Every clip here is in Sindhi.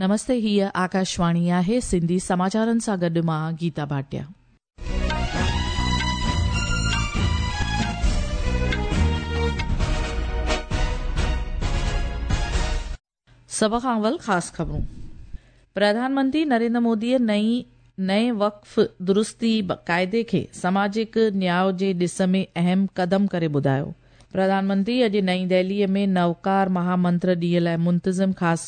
نمستي هيء آڪاشواڻي آهي سنڌي سماچارن سان گڏ مان گيتا ڀاٽيا. سڀ کان اول خاص خبرون. پرڌان منتري نريندر موديء نئين نئين وقف درستي قاعدي کي سماجڪ نياء جي ڏس ۾ اهم قدم ڪري ٻڌايو. پرڌان منتري اڄ نئين دهليء ۾ نوڪار مهامنتر ڏينهن لاء منتظم خاص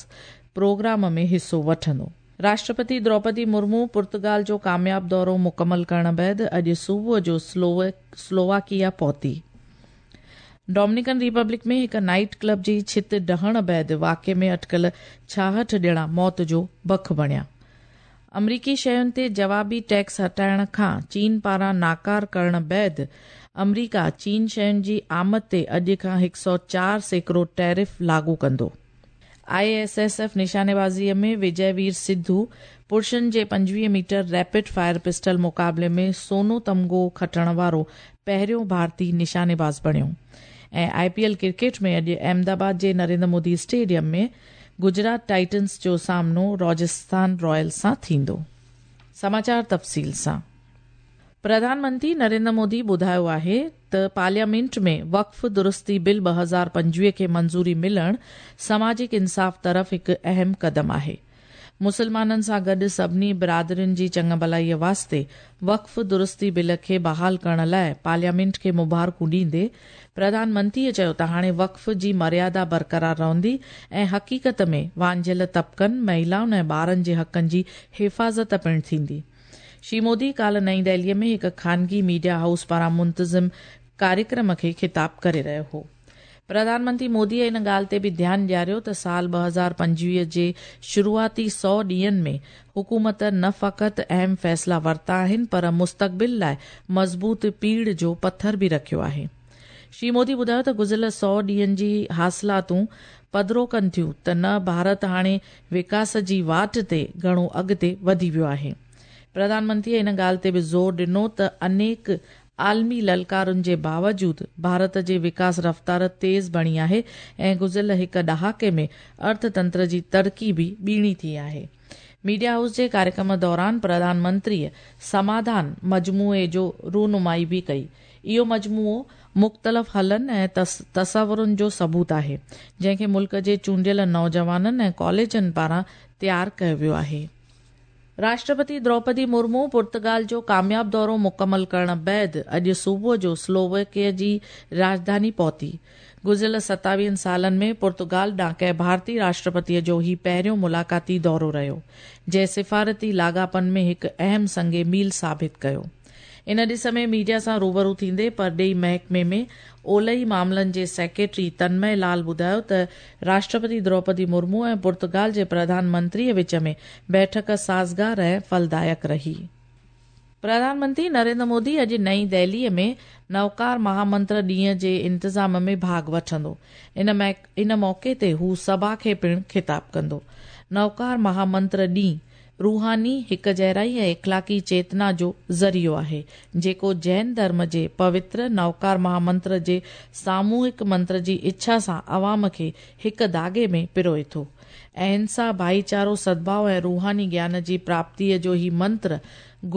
پروگرام ۾ حصو وٺندو. راشٽرپتي دروپدي مرمو پرتگال جو ڪامياب دورو مڪمل ڪرڻ بعد اڄ صبح جو سلوواڪيا پهتي. ڊومنيڪن ريپبلڪ ۾ هڪ نائيٽ ڪلب جي ڇت ڊهڻ بعد واقعي ۾ اٽڪل 66 ڄڻا موت جو بک بڻيا. آمريڪي شين تي جوابي ٽيڪس هٽائڻ کان چين پاران ناڪار ڪرڻ بعد آمريڪا چين شين جي آمد تي اڄ کان 104% ٽيرف لاڳو ڪندو. I S S F نشانيبازي ۾ وجي وير سڌو پرشن جي 25 ميٽر ريپڊ فائر پسٽل مقابلي ۾ سونو تمغو کٽڻ وارو پهريون ڀارتي نشانيباز بڻيو ۽ آء پي ايل ڪرڪيٽ ۾ اڄ احمدآباد جي نريندر مودي اسٽيڊيم ۾ گجرات ٽائٽنز جو سامنو راجسٿان رائلز سان ٿيندو. سماچار تفصيل سان پرڌان منتري نريندر مودي ٻڌايو آهي ته پارليامينٽ ۾ وقف درستي بل 2025 کي منظوري ملڻ سماجڪ انصاف طرف هڪ اهم قدم آهي. مسلمانن سان گڏ سڀني برادرين جي چڱڀلائي واسطي وقف درستي بل کي بحال ڪرڻ لاء پارليامينٽ کي مبارڪون ڏيندي پرڌان منتريء چيو ته هاڻي وقف جي مريادا برقرار رهندي ۽ حقيقت ۾ وانجهيل طبقن، مهيلائن ۽ ٻارن جي حقن جي حفاظت پڻ ٿيندي. شري مودي ڪالهه نئين دهليء ۾ هڪ خانگي ميڊيا هائوس پاران منتظم ڪاريڪرم کي خطاب ڪري رهيو هو. پرڌان منتري موديء ان ڳالهه تي به ڌيان ڏياريو ته سال 2025 جي شروعاتي سئو ڏينهن ۾ حڪومت نه فقط اهم فيصلا ورتا آهن پر مستقبل لاء مضبوط پيڙهه جو پٿر به رکيو آهي. شري مودي ٻڌايو ته گذريل سئو ڏينهن جي حاصلاتون پڌرو ڪن ٿيون ته نه ڀارت هاڻي وڪاس جي واٽ تي گهڻو اڳتي وڌي ويو آهي. پرڌان منتريء ان ڳالهه تي به زور ڏنو ته انيڪ عالمي للڪارن جي باوجود ڀارت جي وڪاس رفتار تيز بڻي آهي ۽ گذريل هڪ ڏهاڪي ۾ ارٿ تنتر جي ترقي به ٻيڻي ٿي آهي. ميڊيا هائوس جي ڪاريڪرم دوران پرڌان منتريء سماڌان مجموعي جو رونمائي به ڪئي. اهو مجموعو مختلف حلن ۽ تصورن جو ثبوت آهي، جنهن کي ملڪ جي چونڊيل نوجوانن ۽ ڪاليجن پاران تيار ڪيو ويو آهي. راشٽرپتي دروپدي مرمو پرتگال جو ڪامياب دورو مڪمل ڪرڻ بعد اڄ صبح جو سلوواڪيا جي راڄڌاني پهتي. گذريل ستاويهن سالن ۾ پرتگال ڏانهن ڪنهن ڀارتي راشٽرپتي جو هي پهريون ملاقاتي دورو رهيو، جنهن سفارتي لاڳاپن ۾ هڪ اهم سنگ ميل ثابت ڪيو. ان ڏس ۾ ميڊيا سان روبرو ٿيندي پرڏيهي محڪمي ۾ اولهي معاملن جي سيڪريٽري تنمئي لال ٻڌايو ته راشٽرپتي دروپدي مرمو ۽ پرتگال جي پرڌان منتري وچ ۾ بيٺڪ سازگار ۽ ڦلدائڪ رهي. پرڌان منتري نريندر مودي اڄ نئين دهلي ۾ نوڪار مهامنتر ڏينهن جي انتظام ۾ ڀاڳ وٺندو. ان موقعي تي هو سڀا کي پڻ خطاب ڪندو. نوڪار مهامنتر ڏينهن روحاني هڪجهڙائي ۽ اخلاقي چيتنا جو ذريعو آهي، جيڪو جين ڌرم جي پوتر نوڪار مهامنتر جي ساموهڪ منتر جي اڇا سان عوام کي هڪ ڌاڳي ۾ پروئي ٿو. اهنسا، ڀائيچارو، سدڀاء ۽ روحاني گيان جي پراپتيء جو هي منتر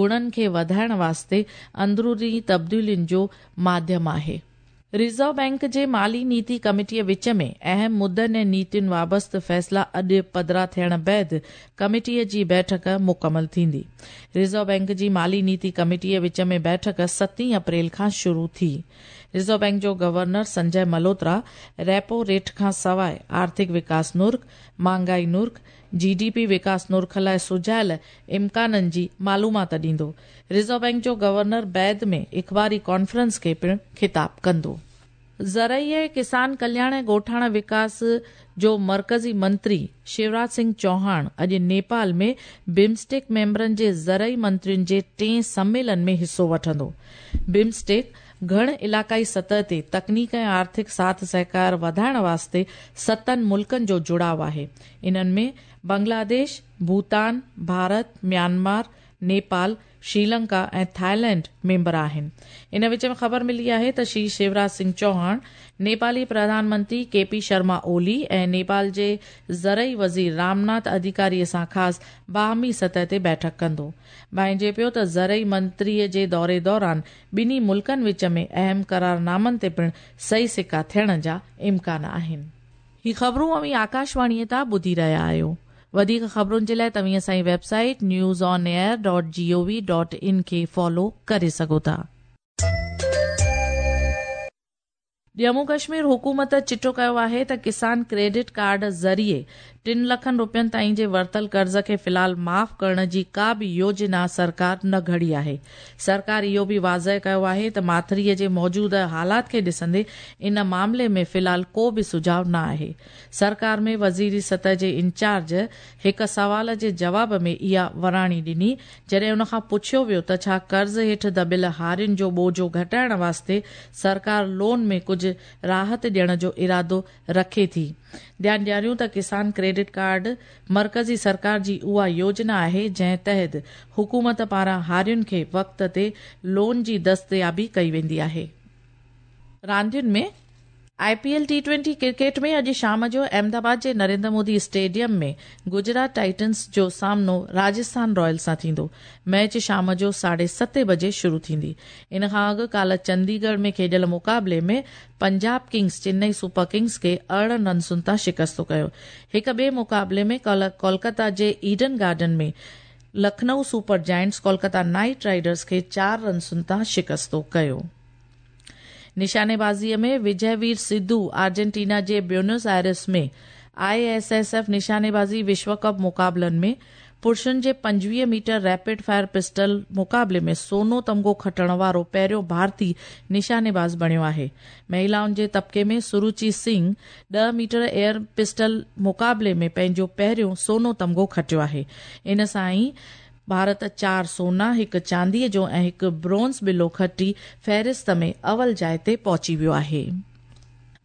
گڻن کي وڌائڻ واسطي اندروني تبديلين جو ماڌيم آهي. ريزرو بئنڪ جي مالي نيتي ڪميٽيء وچ ۾ اهم مدن ۽ نيتين وابسته فيصلا اڄ پڌرا ٿيڻ بعد ڪميٽيء جي بيٺڪ مڪمل ٿيندي. ريزرو بئنڪ جي مالي نيتي ڪميٽيء وچ ۾ بيٺڪ ستين اپريل کان شروع ٿي. ريزرو بئنڪ جو گورنر سنجي ملهوترا ريپو ريٽ کان سواء آرٿڪ وڪاس نرخ، مهانگائي نرخ، جي ڊي پي وڪاس نرخ لاء سجهايل امڪانن جي معلومات ڏيندو. ريزرو بئنڪ جو گورنر بعد ۾ اخباري ڪانفرنس کي پڻ خطاب ڪندو. زرعي ۽ ڪسان ڪلياڻ ۽ ڳوٺاڻا وڪاس جو مرڪزي منتري شيوراج سنگهه چوهاڻ اڄ نيپال ۾ بمسٽيڪ ميمبرن جي زرعي منترين جي ٽئين سميلن ۾ حصو وٺندو. بمسٽيڪ گهڻ علاقائي سطح تي تڪنيڪ ۽ آرٿڪ ساٿ سهڪار وڌائڻ واسطي ستن ملڪن جو جڙاء آهي. انهن ۾ Bangladesh, Bhutan, Bharat, Myanmar, Nepal, Sri Lanka ۽ Thailand member آهن. ان وچ ۾ خبر ملي آهي ته شري شيوراج سنگهه چوهاڻ نيپالي پرڌان منتري ڪي پي شرما اولي ۽ نيپال جي زرعي وزير رامناٿ اڌيڪاري سان خاص باهمي سطح تي بيٺڪ ڪندو. ڀانئجي پيو ته زرعي منتري جي دوري دوران ٻنهي ملڪن وچ ۾ اهم قرارنامن تي پڻ صحيح سڪا ٿيڻ جا امڪان آهن. هي خبرون اوهين آڪاشواڻيء تان ٻڌي رهيا آهيو. وڌيڪ خبرن جي لاء توهين اسان جي website news on air dot G O V dot in کي فالو ڪري سگهو ٿا. ڄمون ڪشمير حڪومت چٽو ڪيو آهي ته ڪسان ڪريڊٽ ڪارڊ ذريعي ٽن لکن روپين تائين جي ورتل قرض کي في الحال معاف ڪرڻ جي ڪا به يوجنا سرڪار نه گهڙي آهي. سرڪار اهو به واضح ڪيو آهي ته ماٿريء جي موجوده حالات کي ڏسندي ان معاملي ۾ في الحال ڪو به سجهاء نه آهي. سرڪار ۾ وزيري سطح جي انچارج هڪ سوال جي جواب ۾ اها وراڻي ڏني، جڏهن ان کان پڇيو ويو ته ڇا قرض هيٺ دٻيل هارين جو ٻوجهو گهٽائڻ واسطي سرڪار لون ۾ ڪجهه راحت ڏيڻ جو ارادو رکي ٿي. ڌيان ڏياريون ته ڪسان ڪريڊٽ ڪارڊ مرڪزي سرڪار جي اها يوجنا آهي جنهن تحت حڪومت پاران هارين کي وقت تي لون جي دستيابي ڪئي ويندي آهي. راندين ۾ I P L T twenty cricket ۾ اڄ شام جو احمدآباد جي نريندر مودي اسٽيڊيم ۾ گجرات ٽائٽنز جو سامنو راجسٿان رائلز سان ٿيندو. ميچ شام جو ساڍي ستين بجي شروع ٿيندي. ان کان اڳ ڪالهه چنديڳڙهه ۾ کيڏيل مقابلي ۾ Punjab kings Chennai super kings کي 18 رنسن تان شڪست ڪيو. هڪ ٻئي مقابلي ۾ ڪالهه ڪولڪتا جي Eden garden ۾ Lucknow super giants Kolkata knight riders کي چار رنسن تان شڪست ڪيو. نشانيبازيء ۾ وجي وير سڌو آرجنٽينا جي Buenos Aires ۾ I S S F نشانيبازي وشو ڪپ مقابلن ۾ پرشن جي 25 ميٽر ريپڊ فائر پسٽل مقابلي ۾ سونو تمغو کٽڻ وارو پهريون ڀارتي نشانيباز بڻيو آهي. مهلائن جي طبقي ۾ سروچي سنگهه 10 ميٽر ايئر پسٽل مقابلي ۾ پنهنجو پهريون سونو تمغو کٽيو آهي. ان سان ئي ڀارت چار سونا، هڪ چانديء جو ۽ هڪ برونز ٻلو کٽي فهرست ۾ اول جاء تي پهچي ويو آهي.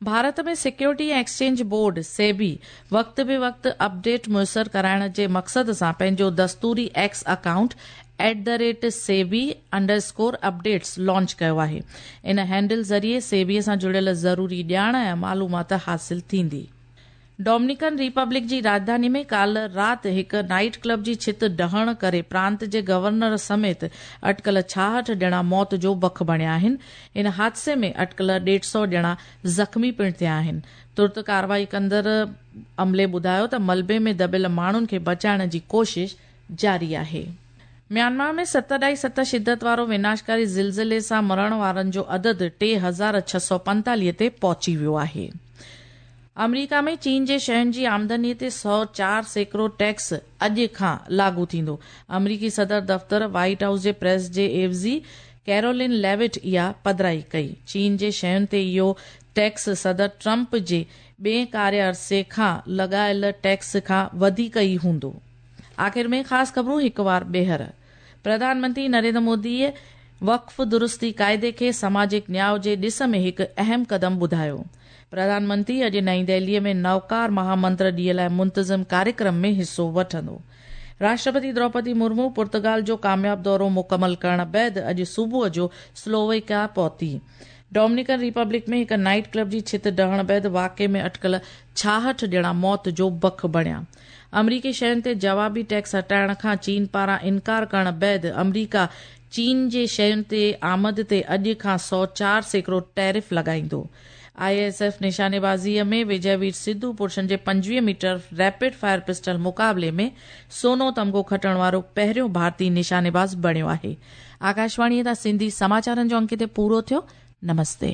Bharat ۾ security ۽ exchange board, SEBI, وقت به وقت اپڊيٽ ميسر ڪرائڻ جي مقصد سان پنهنجو دستوري X account at the rate SEBI underscore updates launch ڪيو آهي. ان هينڊل ذريعي سيبي سان جڙيل ضروري ڄاڻ ۽ معلومات حاصل ٿيندي. ڊومنيڪن ريپبلڪ جي راڄڌاني ۾ ڪالهه رات هڪ نائيٽ ڪلب جي ڇت ڊهڻ ڪري پرانت جي گورنر سميت اٽڪل 66 ڄڻا موت جو بک بڻيا آهن. ان حادثي ۾ اٽڪل ڏيڍ سئو ڄڻا زخمي پڻ ٿيا آهن. ترت ڪارروائي ڪندڙ عملي ٻڌايو ته ملبي ۾ دٻيل ماڻهن کي بچائڻ جي ڪوشش جاري آهي. ميانمار ۾ ست اڍائي ست شدت وارو وناشڪاري زلزلي سان مرڻ وارن جو عدد 3645 تي پهچي ويو آهي. آمريڪا ۾ چين جي شين جي آمدني تي 104% ٽيڪس اڄ کان لاڳو ٿيندو. آمريڪي صدر دفتر وائيٽ هائوس جي پريس جي عيوضي ڪيرولين ليوٽ اها پڌرائي ڪئي. چين جي شين تي اهو ٽيڪس صدر ٽرمپ جي ٻئين ڪاري عرصي کان لڳايل ٽيڪس کان وڌيڪ ئي هوندو. آخر ۾ خاص خبرون هڪ وار ٻيهر. پرڌان منتري نريندر مودي وقف درستي قاعدي کي سماجڪ نياء جي ڏس ۾ هڪ اهم قدم ٻڌايو. پرڌان منتري اڄ نئين دهلي ۾ نوڪار مهامنتر ڏينهن لاء منتظم ڪاريڪرم ۾ حصو وٺندو. راشٽرپتي دروپدي مرمو پرتگال جو ڪامياب دورو مڪمل ڪرڻ بعد اڄ صبح جو سلوويڪيا پهتي. ڊومنيڪن ريپبلڪ ۾ هڪ نائيٽ ڪلب جي ڇت ڊهڻ بعد واقعي ۾ اٽڪل 66 ڄڻا موت جو بک بڻيا. آمريڪي شين تي جوابي ٽيڪس هٽائڻ کان چين پاران انڪار ڪرڻ بعد آمريڪا چين جي شين تي آمد تي اڄ کان 104% ٽيرف لڳائيندو. I S F نشانيبازي ۾ وجي وير سڌو پرشن جي 25 ميٽر ريپڊ فائر پسٽل مقابلي ۾ سونو تمغو کٽڻ وارو پهريون ڀارتي نشانيباز بڻيو آهي. آڪاشواڻيء تان سنڌي سماچارن جو انڪ هتي پورو ٿيو. نمستي.